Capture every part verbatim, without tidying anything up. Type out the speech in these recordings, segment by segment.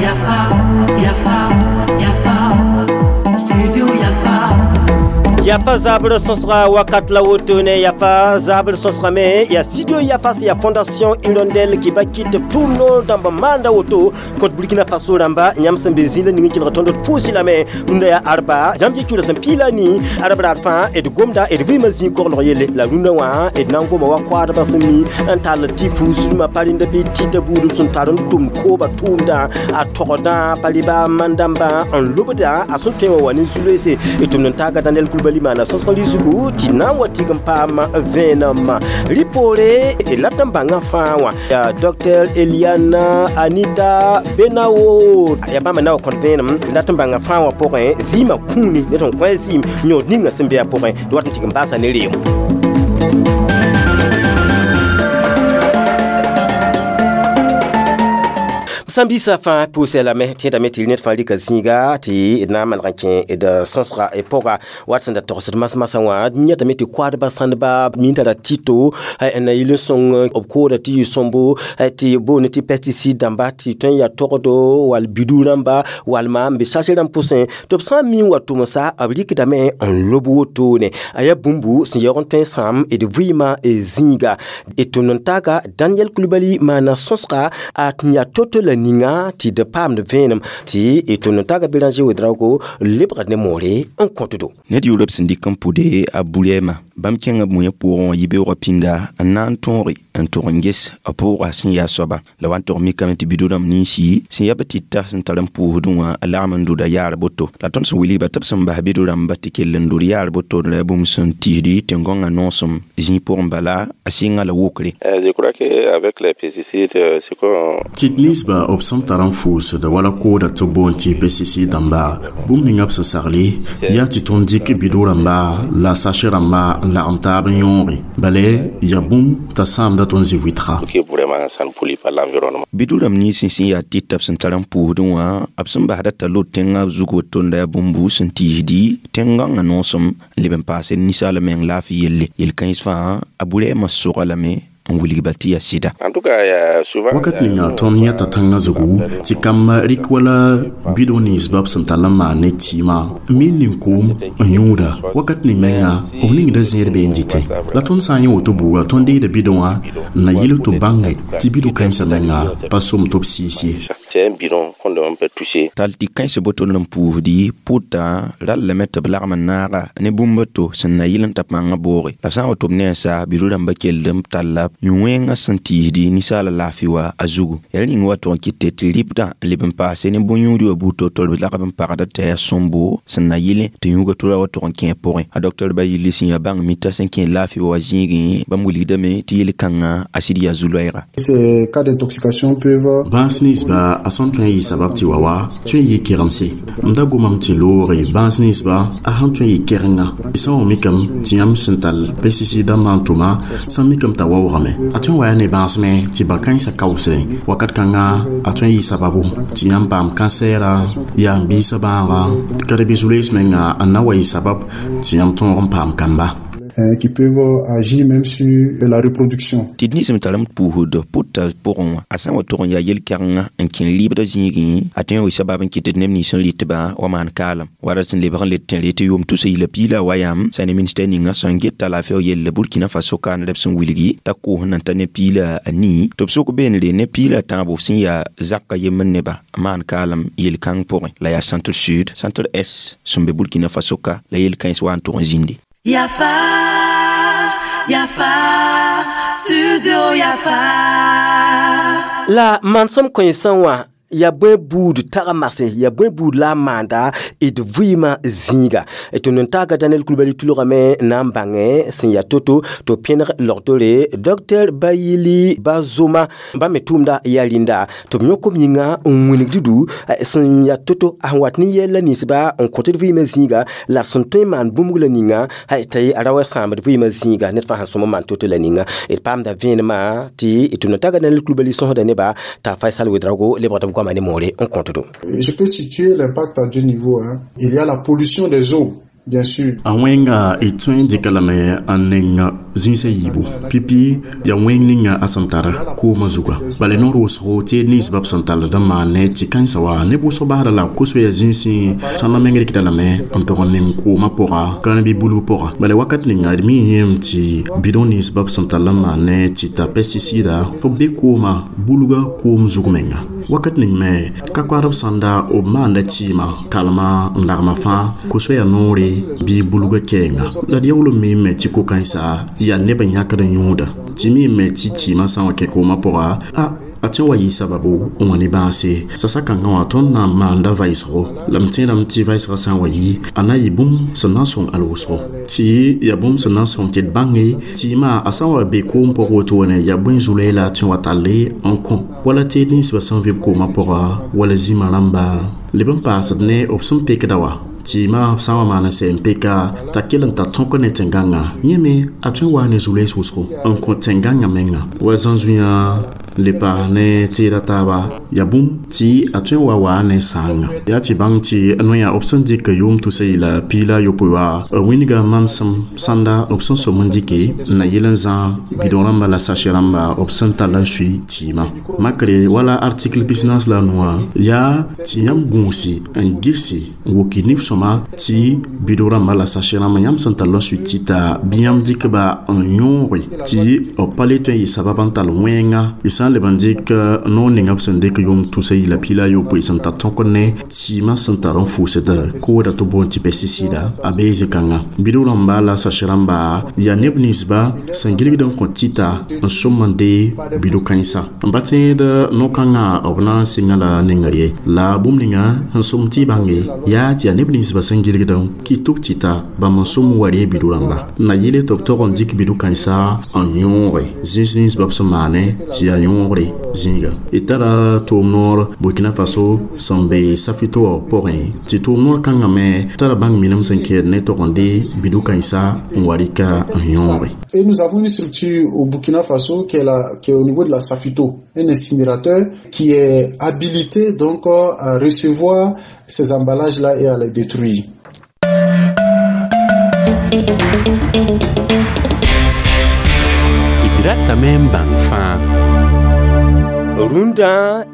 Yafa, Yafa, Yafa, Studio Yafa. Yafa zabr sõsga wakat la wotone, yafa zabr sõsgame ya studio Yafa, ya Fondation Hirondelle ki ba kɩt tʋʋm noor dãmb maanda woto kõt Burkina Faso rãmba. Yãmb sẽn be zĩila ning n kelg tõnd d pʋʋsɩ lame. Rũndã yaa arba, yãmb yɩ cʋʋda sẽn piila ni arb raar fãa d gomda d vɩɩmã zĩig koglg yelle la rũndã wã d na n goma wa koadbã sẽn mi n tall tɩ puusdmã pa rẽnda bɩ tɩta buud sẽn tar n tʋm kooba tʋʋmdã a togdã pa rɩba man-dãmbã n lobda a sẽn tõe wã wa ne zu-loeese. D tʋmd n taaga Daniel Kulbali maana sõsg rɩsgu tɩ na n wa tig n paam vẽenem rɩ poore d lat n bãngã fãa wã yaa Docteur Eliana Anita Benawo, yaa bãmb na wa kõt vẽenem lat n bãngã fãa wã pʋgẽ zɩɩmã kũuni ne tõnd kõ zɩɩm yõod ninga sẽn be a pʋgẽ d wat n tɩg n baasa ne reemo. Sãn-biisã fãa pʋʋsɛ lame tẽedame tɩ ned fãa rɩka zĩiga tɩ d na n maneg n kẽ d sõsga pʋga wat sẽn da togsd mas-masã wã. D yãtame tɩ koadbã sãndba min tara tɩto n na yɩl n sõng b kooda tɩ yɩ sõmbo tɩ boond tɩ pesticide dãmba tɩ tõe n yaa togdo wall bidu rãmba walma n be sase rãmb pʋsẽ tɩ b sã n mi n wa tʋmsa b rɩkdame n lob wotone a yaa bũmbu sẽn yaoog n tõe n sãam d vɩɩmã zĩiga. D tʋmd n taaga Daniel Kulibali maana sõsga a tɩ yaa to-to la ninga tɩ d paamd vẽenem tɩ d tʋmd n taaga Béranger Ouédraogo lebgd ne moore n kõtdo. Ned yʋʋr b sẽn dɩk n pʋde a burɛɛmã bãmb kẽngã b moyã pʋgẽ wã yibeoogã pĩnda n na n tõoge n tʋg n ges a pʋʋga sẽn yaa soaba la wa n tog mikame tɩ bido-rãmb ninsi sẽn yaa b tɩta sẽn tar n pʋʋsdẽ wã a lagm n dʋda yaar boto la tõnd sẽn wilgba tɩ b sẽn bas bido-rãmba tɩ kell n dʋd yaar boto la yaa bũmb sẽn tiisdi tẽn-gõngã noosem zĩig pʋgẽ bala a sɩnga la wokre. Je crois que avec les pesticides, c'est qu'on Tɩt ninsba b sẽn tar n fʋʋsd wala kooda tɩ b boond tɩ pesticide dãmba bũmb ninga b sẽn sagle yaa tɩ tõnd dɩk bido rãmba la sache rãmba n lagem taab n yõoge bala yaa bũmb t'a sãamda tõnd zĩ-vɩtga. Que vraiment ça ne pollue pas l'environnement. Bido rãmb nins sẽn yaa tɩta b sẽn tar n pʋʋsdẽ wã b sẽn basda t'a lot tẽngã zug woto n la yaa bũmbu sẽn tiisdi tẽn-gãngã noosem n leb n paase ninsaal meng laafɩ yelle yel-kãens fãa a burɛɛmã sʋga lame n wilgba tɩ yaa sɩda. En tout cas, il y a souvent Wakat ninga tõnd yãta tãngã zugu tɩ kambã rɩk wala bido ninsba b sẽn tall n maan ne tɩɩmã n miin nin-koom n yũuda wakat ning menga b ningda zẽed bee n dɩtẽ la tõnd sã n yẽ woto buuga tõnd deegda bidõ wã n na yɩl tɩ b bãnge tɩ bido kãensã menga pa som tɩ b sɩɩs ye. C'est un bidon qu'on ne peut toucher. Tall tɩ kãens boto n pʋʋsdi pʋta rallame tɩ b lagm n naaga ne bũmb to sẽn na yɩl n ta pãngã booge la b sã n wa tɩ b ne n sa bido rãmbã kell n talla yũ-wẽngã sẽn tiisdi ninsaala laafɩ wa a zugu yaa rĩng wa tʋg n kɩte tɩ rɩbdã n leb n paase ne bõn-yũudi wã buud to-to b lagb n pagda t'a yaa sõmbo sẽn na yɩlẽ tɩ yũuga tora wa tʋg n kẽ pʋgẽ a docteur Bayili sẽn yaa bãng mita sẽn kẽ laafɩ wa zĩigẽ bãmb wilgdame tɩ yel-kãngã a sɩd yaa zu-loɛɛga. Ces cas d'intoxication peuvent Bãas ninsba a sẽn tõe n yɩ sabab tɩ wa wa tõe n yɩ kegemse m da gomame tɩ loore bãas ninsba a sãn tõe n yɩ kɛrenga sã n wa mikame tɩ yãmb sẽn tall pesticide dãmbã n tʋma sã n mikame t'a waoogame a tõe n wa yaa ne bãasmẽ tɩ bã-kãensã kaoosdẽ wakat kãnga a tõe n yɩ sababu tɩ yãmb paam kansɛɛra yaa n biisã bãaga ka d bɩ zu-loees menga n na wa yɩ sabab tɩ yãmb tõog n paam kamba. Hein, qui peuvent agir même sur la reproduction. Tɩ d ninsem tar n pʋʋsd pʋta pʋgẽ wã a sã n wa tʋg n yaa yel-kɛgenga n kẽ rɩɩbdã zĩigẽ a tõe n wa sabab n kɩt d neb nins n rɩtba wa maan kaalem wara sẽn lebg n le tẽre tɩ yʋʋm tusa yila piila wa yam sã ne ministɛr ninga sẽn get t'a laafɩ yelle Burkina Faso kaan b sẽn wilgi t'a koos n ta ne piila a nii tɩ b sʋk beenre ne piila tãabo sẽn yaa zaka yembr neba maan kaalem yel-kãng pʋgẽ la yaa centre sud centre est sẽn be Burkina Faso ka la yel-kãens wa n tʋg n zĩnde. Yafa, Yafa, Studio Yafa. La mansem kõensã wã ya bõe buud tag mase ya bõe buud la a maanda d vɩɩmã zĩiga tɩ n taaga Daniel Kulibali tulgame na n bãngẽ sẽn yaa to-to tɩ pẽneg logtore Docteur Bayili Bazoma bãmb me tʋʋmda yaa rĩnda tɩ b yõk b yĩnga n wilg dudu sẽn yaa to-to a sẽn wat ne yɛl la ninsba n kõt d vɩɩmã zĩiga la d sẽn tõe n maan bũmb la ninga tɩ a ra wa sãamd vɩɩmã zĩiga ned fãa sẽn sõm n maan to-to la ninga d paamda vẽenemã tɩ tʋm n taaga Daniel Kulibali sõsda neba t'a Faisal Ouédraogo lebgd b goama ne moore n kõtdo. Je peux situer l'impact à deux niveaux, hein. Il y a la pollution des eaux. Bien sûr. A wẽnga y tõe n dɩka lame n neng zĩisã yiibu pipi ya wẽng ninga a sẽn tara koomã zuga bala noor wʋsgo tɩ ninsbã b sẽn tall d n maan ne tɩ kãensã wa neb wʋsg basda la kosoya zĩnsẽ sãnda meng rɩkda lame n tog n neng koomã pʋga ka ne bɩ bulg pʋga bala wakat ninga d mi yẽem tɩ bidon ninsbã b sẽn tall n maan ne tɩ ta pesticida tɩ b be koomã bulga koom zug menga wakat ning me ka koadb sãnda b maanda tɩɩmã kalma n lagma fãa kosoya noore bɩ bulga kɛɛnga la d yaool n miime tɩ ko-kãensa yaa neb n yãkd n yõoda tɩ miime tɩ tɩɩmã sã n wa kẽ koomã pʋga a a tõe n wa yɩ sababu n wa ne bãase sasa-kãngã wã tõnd na n maanda vaɩsgo la m tẽedame tɩ vaɩsgã sã n wa yɩ a na yɩ bũmb sẽn na n sõng al-wʋsgo tɩ yaa bũmb sẽn na n sõng tɩ d bãnge tɩɩmã a sã n wa be koom pʋg wotone yaa bõe zu-loɛɛ la a tõe n wa talle n kõ wala tɩ ninsbã sẽn vɩb koomã pʋga wala zĩmã rãmba leb n paasd ne b sẽn pekda wa tɩɩmã b sã n wa maan n sɛ n peka t'a kell n ta tõk ne tẽn-gãngã yẽ me a tõe n waa ne zu-loees wʋsgo n kõ tẽn-gãngã menga wa zãn-zuiã le paas ne teeda taaba yaa bũmb tɩ a tõe n wa waa ne sãanga yaa tɩ bãng tɩ noyã b sẽn dɩk yʋʋm tusa yɩla piila yopoe wa b wĩnga manesem sãnda b sẽn som n dɩke n na yel n zã bidõ rãmba la sashe rãmba b sẽn tall n sui tɩɩmã makre wala article business la noã yaa tɩ yãmb gũusi n gese n woki nif-sõma tɩ bidõ rãmba la sashe rãmba yãmb sẽn tall n sui tɩta bɩ yãmb dɩkba n yõoge tɩ b pa le tõe n yɩ sabab n tall wẽnga y sã n leb n dɩk noor ninga b sẽn dɩk yʋʋm tusa yɩla piila yopoe sẽn tar tõk ne tɩɩmã sẽn tar n fʋʋsd kooda tɩ boond tɩ pesticida a bee zĩ-kãnga bidg rãmba la sashe rãmba yaa neb ninsba sẽn gilgd n kõ tɩta n sõm n dee bidg kãensa n pa tẽed no-kãngã b na n sɩngã la nengr ye la bũmb ninga sẽn sõm tɩ y bãnge yaa tɩ yaa neb ninsba sẽn gilgd n kɩ tɩ b tɩta bãmb n sõm n wa ree bidg rãmba n na yɩle tɩ b tog n dɩk bidg kãensa n yõoge zĩis ninsba b sẽn maane tɩ yaa yõogre zĩiga d tara tʋʋm noor Burkina Faso sẽn be Safito wã pʋgẽ tɩ tʋʋm noor kãngã me tara bãng minim sẽn kɛɛd ne tog n dee bidg kãensa n wa rɩka n yõoge. Et nous avons une structure au Burkina Faso qui est, la, qui est au niveau de la Safito, un incinérateur qui est habilité donc à recevoir ces emballages-là et à les détruire. D ratame n bãng fãa. Rũndã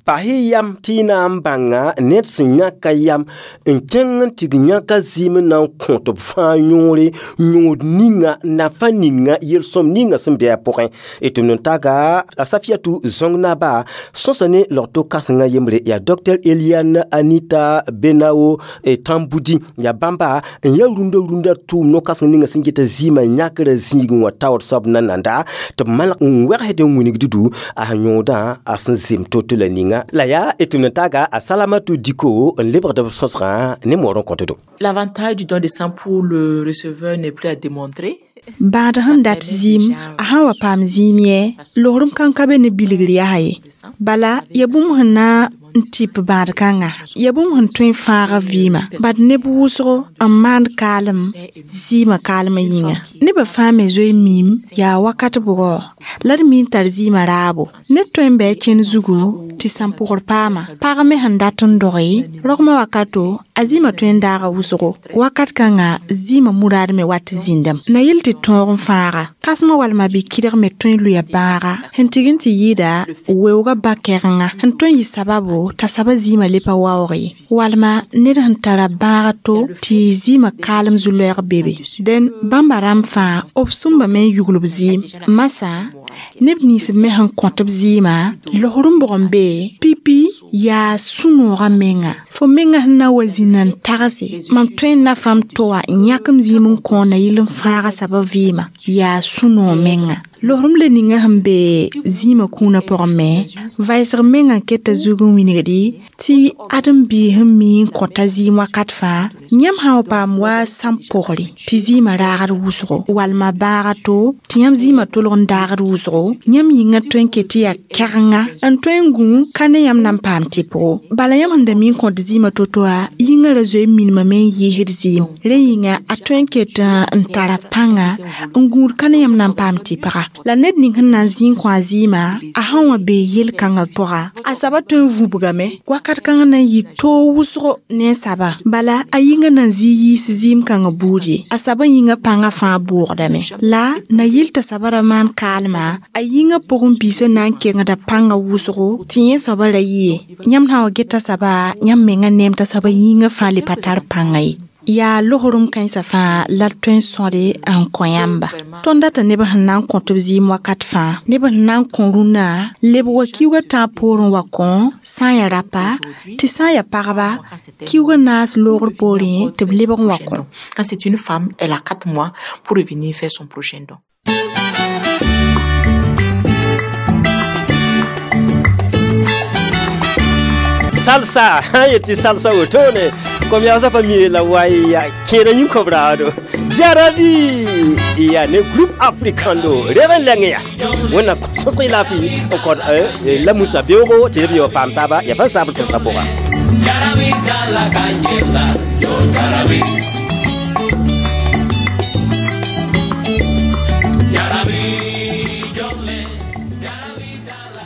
bahi yam tɩ y na n bãnga ned sẽn yãka yam n kẽng n tɩg yãka zɩɩm n na n kõ tɩ b fãa yõore yõod ninga nafa ninga yel-sõm ninga sẽn be a pʋgẽ d tʋmd n taga a Safiatou Zong naba sõsa ne logto kãsengã yembre yaa Docteur Eliane Anita Benao Tamboudi yaa bãmba n yaa rũndã rũndã tʋʋm no-kãseng ninga sẽn geta zɩɩmã yãkrã zĩigẽ wã taoor soab nananda tɩ b malg n wɛgsd n wilgd du a sẽn yõodã a sẽn zem to-to la ninga la yaa d tʋmd n taga a Salamatou Diko n lebgd b sõsgã ne moor n kõt do. L'avantage du don de sang pour le receveur n'est plus à démontrer. Bãad sẽn dat zĩim a sã n wa paam zĩim yɛ logrem kãn ka be ne bilgr yaa ye bala ya bũmb sẽn na n tɩp bãad kãnga ya bũmb sẽn tõe n fãaga vɩɩmã bad neb wʋsgo n maand kaalem zɩɩmã kaalmã yĩnga nebã fãa me zoe miim yaa wakat bʋgɔ la d mi n tar zɩɩmã raabo ned tõe n bɩ a kẽnd zugu tɩ sãn-pʋgr paama pag me sẽn dat n doge rogmã wakato a zɩɩmã tõe n daaga wʋsgo wakat kãnga zɩɩmã muraad me wat zĩndame na yel tɩ tõog n fãaga kãsmã walma bɩ kɩdg me tõe n lʋya bãaga sẽn tɩg n tɩ yɩɩda weoogã ba-kɛgenga sẽn tõe n yɩ sababo t'a saba zɩɩmã le pa waoog ye walma ned sẽn tara bãaga to tɩ zɩɩmã kaalem zu-loɛɛg bebe dẽn bãmba rãmb fãa b sõmbame n yugl b zɩɩm masã neb nins me sẽn kõt b zɩɩmã losr n bʋg n be pipi yaa sũ-noogã menga fo menga sẽn na wa zĩnd n tagse mam tõe n na fãm to wã n yãk m zĩim n kõ na yɩl n fãaga saba vɩɩmã yaa sũ-noog menga losrem le ninga sẽn be zĩimã kũunã pʋgẽ me vaɩsg menga n keta zug n wilgdi tɩ ãdem-biis n mi n kõta zɩɩm wakat fãa yãmb sã n wa paam wa sãn-pʋgre tɩ zɩɩmã raagd wʋsgo walma bãaga to tɩ yãmb zɩɩmã tolg n daagd wʋsgo yãmb yĩngã tõe n ket tɩ yaa kɛgenga n tõe n gũ ka ne yãmb na n paam tɩpgo bala yãmb sẽn da mi n kõt zɩɩmã to-to wã yĩngã ra zoe n minimame n yɩɩsd zɩɩm rẽ yĩnga a tõe n ket n tara pãnga n gũud ka ne yãmb na n paam tɩpga La ned ning sẽn na n zĩ n kõ a zɩɩmã, a sãn wa bee yel-kãngã pʋga, a saba tõe n vũbgame wakat kãngã na n yɩ toog wʋsgo ne a saba. Bala a yĩngã na n zɩ yiis zɩɩm kãngã buud ye. A saba yĩngã pãngã fãa boogdame. La na yɩl t'a saba ra maan kaalma, a yĩngã pʋgẽ biisã na n kengda pãngã wʋsgo tɩ yẽ soaba ra yɩ ye. Yãmb sã n wa geta saba, yãmb mengã neem t'a saba yĩngã fãa le pa tar pãnga ye. Yaa logrem kãensã fãa la d tõe n sõde n kõ yãmba. Tõnd data neb sẽn na n kõ tɩ b zɩɩm wakat fãa, neb sẽn na n kõ rũnnã lebg wa kiuugã tãab poorẽ wa kõ, sã n yaa rapa, tɩ sã n yaa pagba, kiuugã naas loogr poorẽ tɩ b lebg n wa kõ. Quand c'est une femme, elle a quatre mois pour revenir faire son prochain don. Salsa, yeti salsa wotone. Comme ya zapa mi la wai ya kera yin kobrado. Jarabi ya ne groupe africano reven lenge ya. Wona sosri la fi encore euh la musa beogo te bi pam taba ya fa sabr sosra boga. Jarabi la cañela, yo jarabi. Jarabi yo le jarabi la